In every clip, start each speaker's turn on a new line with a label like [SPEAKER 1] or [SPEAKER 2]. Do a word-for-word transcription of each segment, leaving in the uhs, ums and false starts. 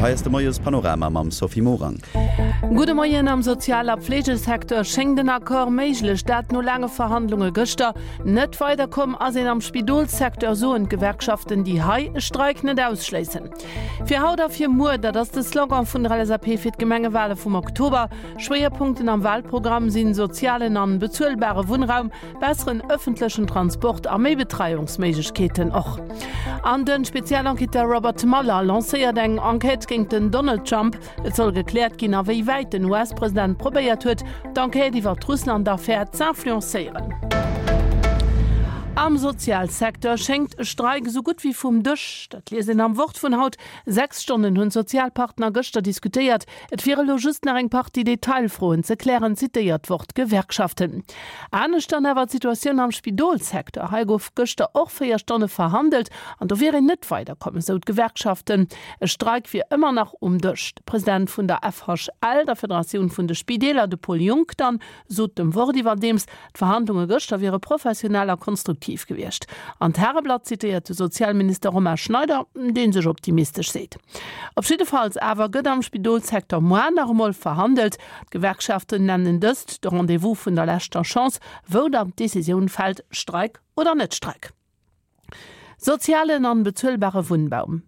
[SPEAKER 1] Hei ass de Moiespanorama mam Sophie Morang.
[SPEAKER 2] Gudde Moien, Am Sozial a Fleegesecteur schéngt en Accord méiglech, dat no laange Verhandlunge gëschter. Net weiderkomm ass een am Spidolssecteur, soen d'Gewerkschaften, déi hei e Streik net ausschléissen. Fir haut a fir muer, dat ass de Slogan vun der L S A P fir d'Gemengewale vum Oktober. Schwéierpunkten am Walprogramm sinn sozialen an bezuelbare Wunnraum, besseren ëffentlechen Transport a méi Betreiungsméiglechkeeten och. An de Spezialenquêteur Robert Mueller lancéiert eng Enquête géint den Donald Trump. Et soll gekläert ginn, a wéi wäit den U S-President probéiert huet, d'Enquête iwwer d'Russland-Affär z'influencéieren. Am Sozialsecteur schéngt e Streik esou gutt wéi vum Dësch. Dat liest een am Wort vun haut. Sechs Stonnen hunn d'Sozialpartner gëschter diskutéiert. Et wiere elo just nach eng Partie Detailfroen ze klären, zitéiert d'Wort d'Gewerkschaften. Anescht dann awer d'Situatioun am Spidolssecteur. Hei gouf gëschter och véier Stonne verhandelt an do wier een net weiderkomm, esou d'Gewerkschaften. E Streik wier ëmmer nach um Dësch. De President vun der F H L, der Federatioun vun de Spideeler, de Paul Junck dann, sot dem Wort iwwerdeems, d'Verhandlunge gëschter wiere professionell a konstruktiv gewiescht. An d'Tageblatt zitéiert de Sozialminister Romain Schneider, dee sech optimistesch seet. Op jiddefalls awer gëtt am Spidolssecteur muer nach emol verhandelt. D'Gewerkschaften nennen dëst de Rendez-vous vun der leschter Chance, wou dann d'Decisioun fält, Streik oder net Streik. Sozialen an bezuelbare Wunnraum,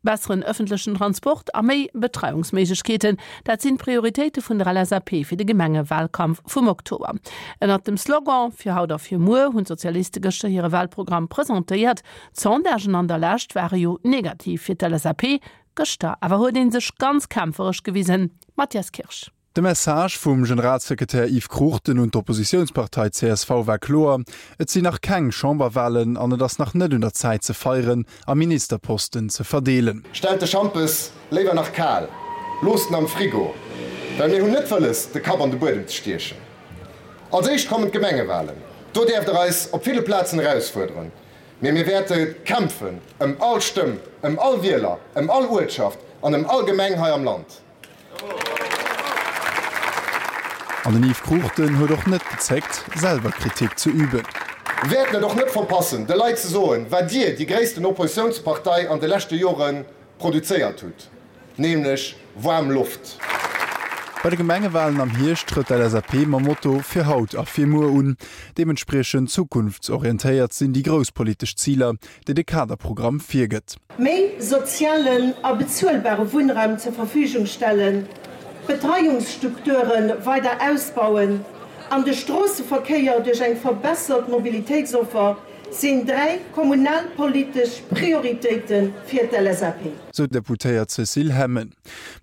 [SPEAKER 2] besseren ëffentlechen Transport a méi Betreiungsméiglechkeeten, dat sinn d'Prioritéite vun der L S A P fir de Gemengewalkampf vum Oktober. Ënnert dem Slogan Fir haut a fir muer hunn d'Sozialiste gëschter hire Walprogramm presentéiert. D'Sondagen an der Lescht ware jo negativ fir d'L S A P. Gëschter awer huet ee sech ganz kämpferesch gewisen. Matthias Kirsch.
[SPEAKER 3] De Message vum Generalsekretär Yves Cruchten un d'Oppositiounspartei C S V war kloer: Et sinn nach keng Chamberwalen an et ass nach net un der Zäit ze feieren a Ministerposten ze verdeelen.
[SPEAKER 4] Stellt de Schampes léiwer nach kal, loosst en am Frigo, well mir hunn net wëlles, de Kapp an de Buedem ze stiechen. Als éischt kommen d'Gemengewalen. Do däerft der eis op ville Plazen erausfuerderen. Mee mir wäerte kämpfen ëm all Stëmm, ëm all Wieler, ëm all Uertschaft an ëm all Gemeng hei am Land.
[SPEAKER 3] An den Yves Cruchten huet och net gezéckt, selwer Kritik ze üben.
[SPEAKER 4] Wäerten et och net verpassen, de Leit ze soen, wat Dir, déi gréissten Oppositiounspartei, an de leschte Jore produzéiert hutt, nämlech waarm Loft.
[SPEAKER 3] Bei de Gemengewalen am Hierscht trëtt d'L S A P mam Motto Fir haut a fir muer un. Deementspriechend zukunftsorientéiert sinn déi grouss politesch Ziler, déi de Kaderprogramm virgëtt.
[SPEAKER 5] Méi sozialen a bezuelbare Wunnraum zur Verfügung stellen, d'Betreiungsstrukture weider ausbauen an de Stroosseverkéier duerch eng verbessert Mobilitéitsoffer sinn dräi kommunalpolitesch Prioritéite fir d'L S A P.
[SPEAKER 3] Sou d'Deputéiert Cécile Hemmen.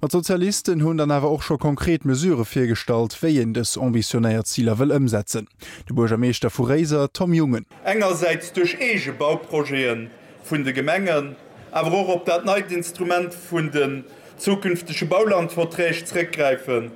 [SPEAKER 3] Ma d'Sozialisten hunn dann awer och scho konkret Mesurë virgestallt, wéi een dës ambitionéiert Ziler wëll ëmsetzen. De Buergermeeschter vu Réiser, Tom Jungen.
[SPEAKER 6] Engersäits duerch eege Bauprojete vun de Gemengen, awer och op dat neit Instrument vun den zukünftege Baulandverträg zréckgräifen,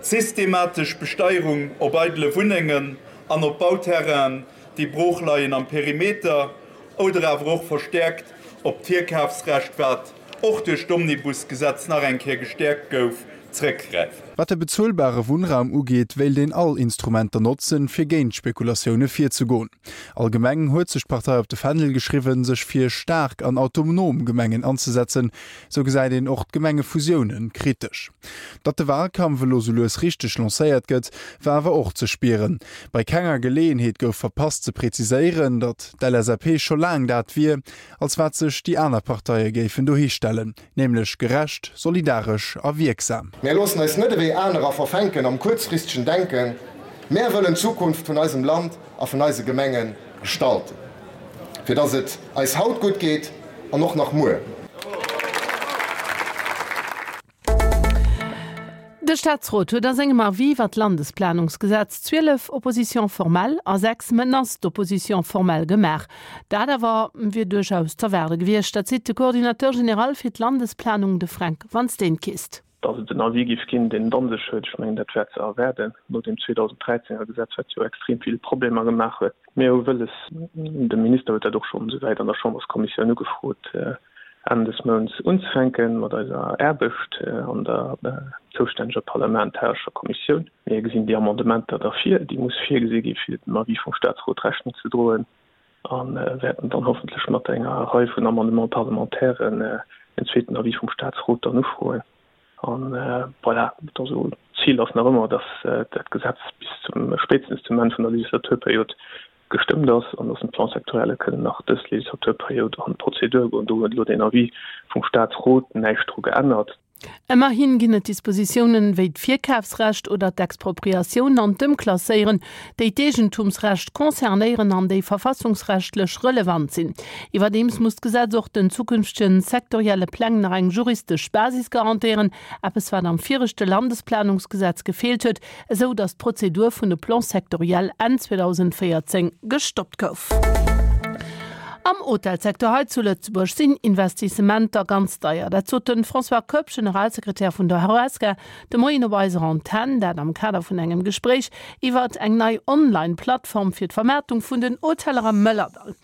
[SPEAKER 6] systematesch Besteierung op eidele Wunnengen an op Bauterrainen, déi broochleien am Perimeter, oder awer och verstäerkt op d'Virkafsrecht, wat och duerch d'Omnibusgesetz nach eng Kéier gestäerkt gouf, zréckgräifen.
[SPEAKER 3] Wat de bezuelbare Wunnraum ugeet, wéilt een all Instrumenter notzen, fir géint Spekulatioune virzegoen. Allgemeng huet sech d'Partei op de Fändel geschriwwen, sech fir staark an autonom Gemengen anzesetzen, sou gesäit een och d'Gemengefusioune kritesch. Datt de Walkampf elo sou lues richteg lancéiert gëtt, war awer och ze spieren. Bei kenger Geleeënheet gouf verpasst ze preziséieren, datt d'L S A P scho laang dat wier, als wat sech déi aner Parteie géifen dohistellen, nämlech gerecht, solidaresch a wierksam.
[SPEAKER 4] Mir loossen eis net ewéi anerer verfänken am kuerzfristegen Denken. Mär wëllen d'Zukunft vun eisem Land a vun eise Gemenge gestalten, fir datt et eis haut gutt geet an och nach muer.
[SPEAKER 2] De Staatsrot huet a sengem Avis iwwer d'Landesplanungsgesetz zwielef Oppositions formelles a sechs Menaces d'opposition formelle gemaach. Dat awer wier duerchaus z'erwaarde gewiescht, dat seet de Coordinateur général fir d'Landesplanung, de Frank Vansteenkiste.
[SPEAKER 7] Datt et en Avis géif ginn, deen et an sech huet, ech mengen, dat war ze erwaarden, no deem zweedausend dräizéng Gesetz, wat jo extrem vill Problemer gemaach huet. Mir hu wëlles, de Minister huet dat och schonn esouwäit an der Chamberskommissioun ugefrot, Enn des Mounts unzefänke mat eiser Aarbecht an der zoustänneger parlamentarescher Kommissioun. Mir gesinn déi Amendementer da vir, déi muss virgesi gi fir dem Avis vum Staatsrot Rechnung ze droen, a wäerten dann hoffentlech mat enger Rei vun Amendements parlementairen en zweeten Avis vum Statsrot dann ufroen. An voilà, also d'Zil ass nach ëmmer, dass dat Gesetz bis zum, spéitstens zum Enn vun der Legislaturperiod gestëmmt ass an dass d'Plan-sectorielle kënnen nach dës Legislaturperiod an d'Prozedur goen. Do huet elo den Avis vum Statsrot näischt dru geännert.
[SPEAKER 2] Ëmmerhin ginn et Dispositiounen, wéi d'Virkafsrecht oder d'Expropriatioun an d'Ëmklasséieren, déi d'Eegentumsrecht concernéieren an déi verfassungsrechtlech relevant sinn. Iwwerdeems muss d'Gesetz och den zukünftege sektorielle Pläng nach eng juristesch Basis garantéieren, eppes wat am viregte Landesplanungsgesetz gefeelt huet, esou datt d'Prozedur vun de Plans sectoriels Enn zweedausendvéierzéng gestoppt gouf. Am Hotelsecteur hei zu Lëtzebuerg sinn Investissementer ganz deier. Dat sot de François Koepp, Generalsekretär vun der Horesca, de Moien op eiser Antenn, dat am Kader vun engem Gespréich iwwert eng nei Online-Plattform fir d'Vermaartung vun den Hoteller am Mëllerdall.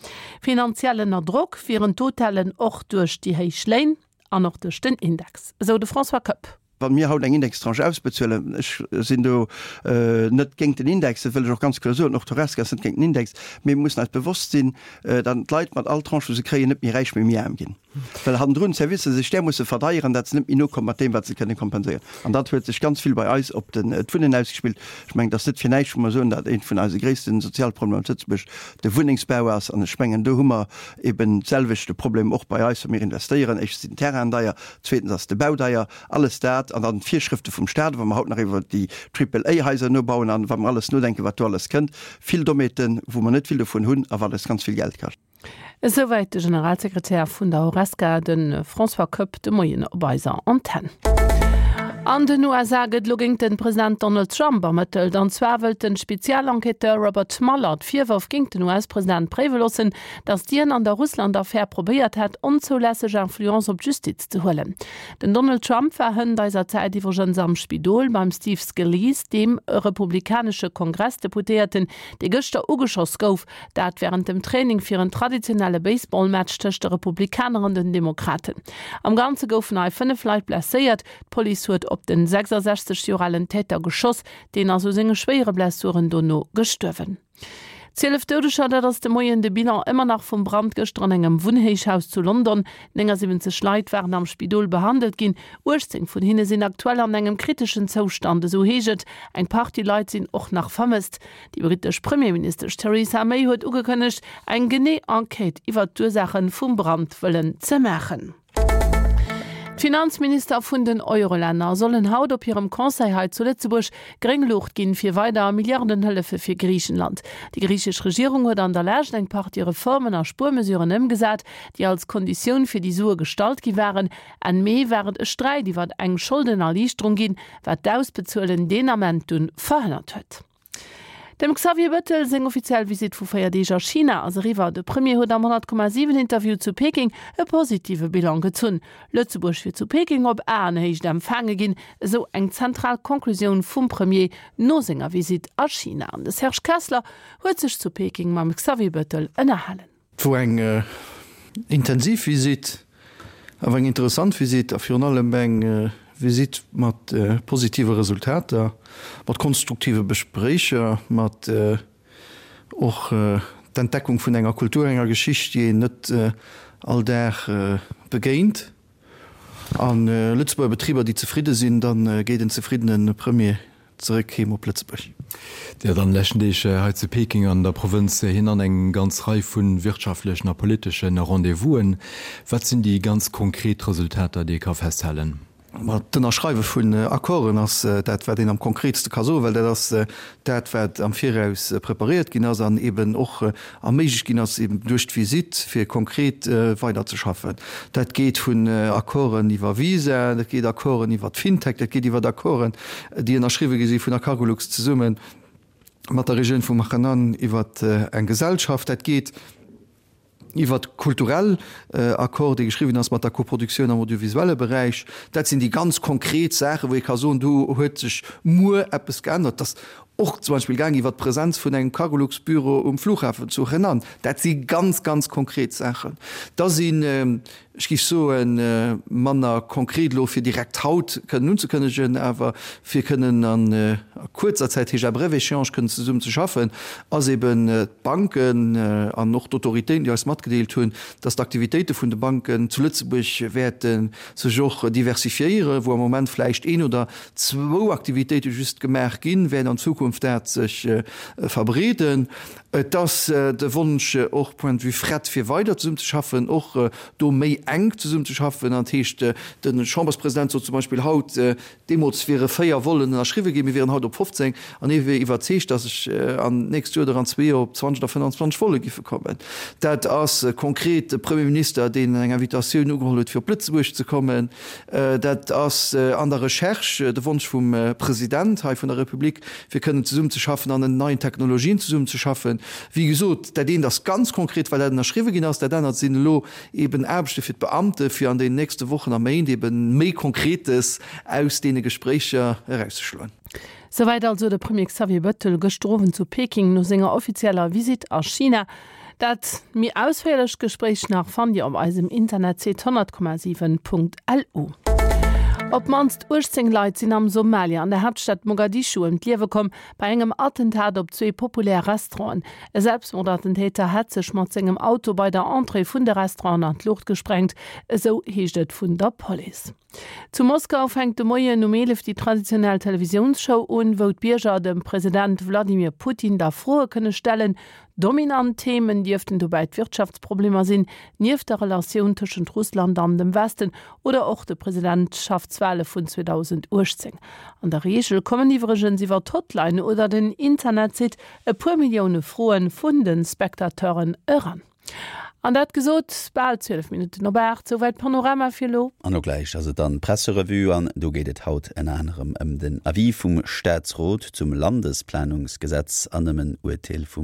[SPEAKER 2] Finanziell ënner Drock wieren d'Hotellen och duerch déi héich Léin an och duerch den Index, esou de François Koepp.
[SPEAKER 8] Wa mir haut eng Indextranche ausbezuelen, ech sinn do net géint den Index, dat wëll ech och ganz kloer soen, och d'Horesca ass net géint den Index, mee mir mussen eis bewosst sinn, datt d'Leit mat all Tranche, wou se kréien, net méi räich, mee méi aarm ginn, well hannendrun d'Servicer sech därmoosse verdeieren, datt se net méi nokomme mat deem, wat se kënne kompenséieren. An dat huet sech ganz vill bei eis op d'Wunnen ausgespillt. Ech mengen, et ass net fir näischt, wou mer soen, datt eent vun eise gréisste Sozialproblemer zu Lëtzebuerg de Wunnengsbau ass. An ech mengen, do hu mer eben d'selwechte Problem och bei eis, wa mir investéieren. Éischtens sinn d'Terrainen deier, zweetens ass de Bau deier, alles dat an dann d'Virschrëfte vum Staat, wa mer haut nach iwwer déi Triple-A-Haiser nobauen an wa mer alles nodenken, wat do alles kënnt, vill Dommheeten, wou mer net vill dovun hunn a wat eis ganz vill Geld kascht.
[SPEAKER 2] Esouwäit de Generalsekretär vun der Horesca, de François Koepp, de Moien op eiser Antenn. An den U S A gëtt elo géint den President Donald Trump ermëttelt. An zwar wëllt den Spezialenquêteur Robert Mueller d'Virwërf géint den U S-President préiwe loossen, datt dien an der Russland-Affär probéiert hätt, onzoulässeg Influence op d'Justiz ze huelen. Den Donald Trump war hënt eiser Zäit iwwregens am Spidol beim Steve Scalise, deem republikanesche Kongressdeputéierten, dee gëschter ugeschoss gouf, dat wärend dem Training fir en traditionelle Baseballmatch tëscht de Republikaner an den Demokraten. Am Ganze goufen hei fënnef Leit blesséiert. D'Police huet op den sechsasechzeg Joer alen Täter geschoss, deen ass u senge schwéiere Blessuren dono gestuerwen. Zwielef Doudeger, dat ass de Moien de Bilan ëmmer nach vum Brand gëschter an engem Wunnhéichhaus zu London. Néngasiwwenzeg Leit waren am Spidol behandelt ginn. uechtzéng vun hinne sinn aktuell an engem kriteschen Zoustand, esou heescht et. Eng Partie Leit sinn och nach vermësst. Déi brittesch Premierministesch Theresa May huet ugekënnegt, eng genee Enquête iwwer d'Ursaache vum Brand wëllen ze maachen. D'Finanzminister vun den Eurolänner sollen haut op hirem Conseil hei zu Lëtzebuerg gréng Luucht ginn fir weider Milliardenhëllefe fir Griichenland. Déi griichesch Regierung huet an der Lescht eng Partie Reformen a Spuermesuren ëmgesat, déi als Konditioun fir déi Sue gestallt gi waren. Enn Mee war et e Sträit iwwer eng Scholdenerliichterung ginn, wat d'Ausbezuelen deen Ament dunn verhënnert huet. Dem Xavier Bettel seng offiziell Visitt vu véier Deeg a China ass eriwwer. De Premier huet am honnert Komma siwen Interview zu Peking e positive Bilan gezunn. Lëtzebuerg wier zu Peking op Aenhéicht empfaange ginn, esou eng zentral Conclusioun vum Premier no senger Visitt a China. An de Serge Kessler huet sech zu Peking mam Xavier Bettel ënnerhalen.
[SPEAKER 9] Et wor eng intensiv Visitt, awer eng interessant Visitt a virun allem eng Visitt mat positive Resultater, mat konstruktive Gespréicher, mat och d'Entdeckung vun enger Kultur, enger Geschicht, déi een net all Dag begéint. An Lëtzebuerger Betriber, déi zefridde sinn, da geet en zefriddene Premier zeréck heem op Lëtzebuerg.
[SPEAKER 10] Dir hat an de leschten Deeg hei zu Peking an der Provënz Henan eng ganz Rei vu wirtschaftlechen a politesche Rendez-vousen. Wat sinn déi ganz konkret Resultater, déi ee ka festhalen?
[SPEAKER 9] Ma d'Ënnerschreiwe vun Accorden ass dat, wat een am konkretste ka soen, well dat ass dat, wat am Viraus preparéiert ginn ass an eben och erméiglecht ginn ass, eben duerch d'Visitt, fir konkret weiderzeschaffen. Dat geet vun Accorden iwwer Visa, dat geet Accorden iwwer d'Fintech, dat geet iwwer Accorden, déi ënnerschriwwe gi si vun der Cargolux zesumme mat der Regioun vum Henan iwwer eng Gesellschaft. Dat geet iwwer kulturell Accord, dee geschriwwen ass mat der Koproduktioun am audiovisuelle Beräich. Dat sinn déi ganz konkret Saachen, wou ee ka soen, do huet sech muer eppes geännert. Dat ass och zum Beispill gaang iwwert d'Presenz vun engem Cargolux-Büro um Flughafen zu Henan. Dat si ganz, ganz konkret Saachen. Da sinn, ech géif soen, manner konkret elo fir direkt haut kënnen unzekënnegen, awer fir kënnen a kuerzer Zäit, heescht à brève échéance, kënnen zesummen ze schaffen, ass eben d'Banken an och d'Autoritéiten, déi eis matgedeelt hunn, dass d'Aktivitéite vun de Banken zu Lëtzebuerg wäerte sech och diversifiéieren, wou am Moment vläicht een oder zwou Aktivitéite just gemaach ginn, wäert an Zukunft dat sech verbreeden. Et ass de Wonsch och point de vue fret, fir weider zesummezeschaffen, och do méi enk zesummezeschaffen. An dat heescht, de Chamberspresident sot zum Beispill haut, deemools wiere véier Vollen ënnerschriwwe ginn, mir wieren haut op fofzéng, an hie wier iwwerzeegt, datt sech an d'nächst Joer oder an zwee Joer op zwanzeg oder fënnanzwanzeg Volle giffe kommen. Dat ass konkret de Premier Minister, deen eng Invitatioun ugeholl huet, fir op Lëtzebuerg ze kommen. Dat ass an der Recherche de Wonsch vum President hei vun der Republik, fir kënnen zesummenzeschaffen an en neien Technologien zesummenzeschaffen. Wéi gesot, dat eent ass ganz konkret, well dat ënnerschriwwe ginn ass. Dat anert sinn elo eben Aarbechte fir d'Beamte fir an den nächste Wochen a Méint eben méi Konkretes aus deene Gespréicher erauszeschloen.
[SPEAKER 2] Souwäit also de Premier Xavier Bettel gëschter Owend zu Peking no senger offizieller Visitt a China. Dat méi ausféierlecht Gespréich nach fannt Dir op eisem Internetsite honnert Komma siwen Punkt lu. Op d'mannst uechtzéng Leit sinn am Somalia an der Haaptstad Mogadischu ëm d'Liewe komm bei engem Attentat op zwee populär Restauranten. E Selbstmordattentäter hätt sech mat sengem Auto bei der Entrée vun de Restauranten an d'Luucht gesprengt, esou heescht et vun der Police. Zu Moskau fänkt de Moien um eelef déi traditionell Televisiounsshow un, wou d'Bierger dem President Wladimir Putin da Froe kënne stellen. Dominant Themen dierften dobäi d'Wirtschaftsproblemer sinn, nieft der Relatioun tëschent Russland an dem Westen oder och de Presidentschaftswale vun zweedausenduechtzéng. An der Reegel kommen iwwregens iwwer d'Hotline oder den Internetsite e puer Millioune Froe vun de Spectateuren eran. An dat gesot, bal zwielef Minutten op aacht, souwäit Panorama fir elo.
[SPEAKER 1] An elo gläich ass et dann d'Presserevue an do geet et haut ënner anerem ëm den Avis vum Staatsrot zum Landesplanungsgesetz an ëm en Urteel vum.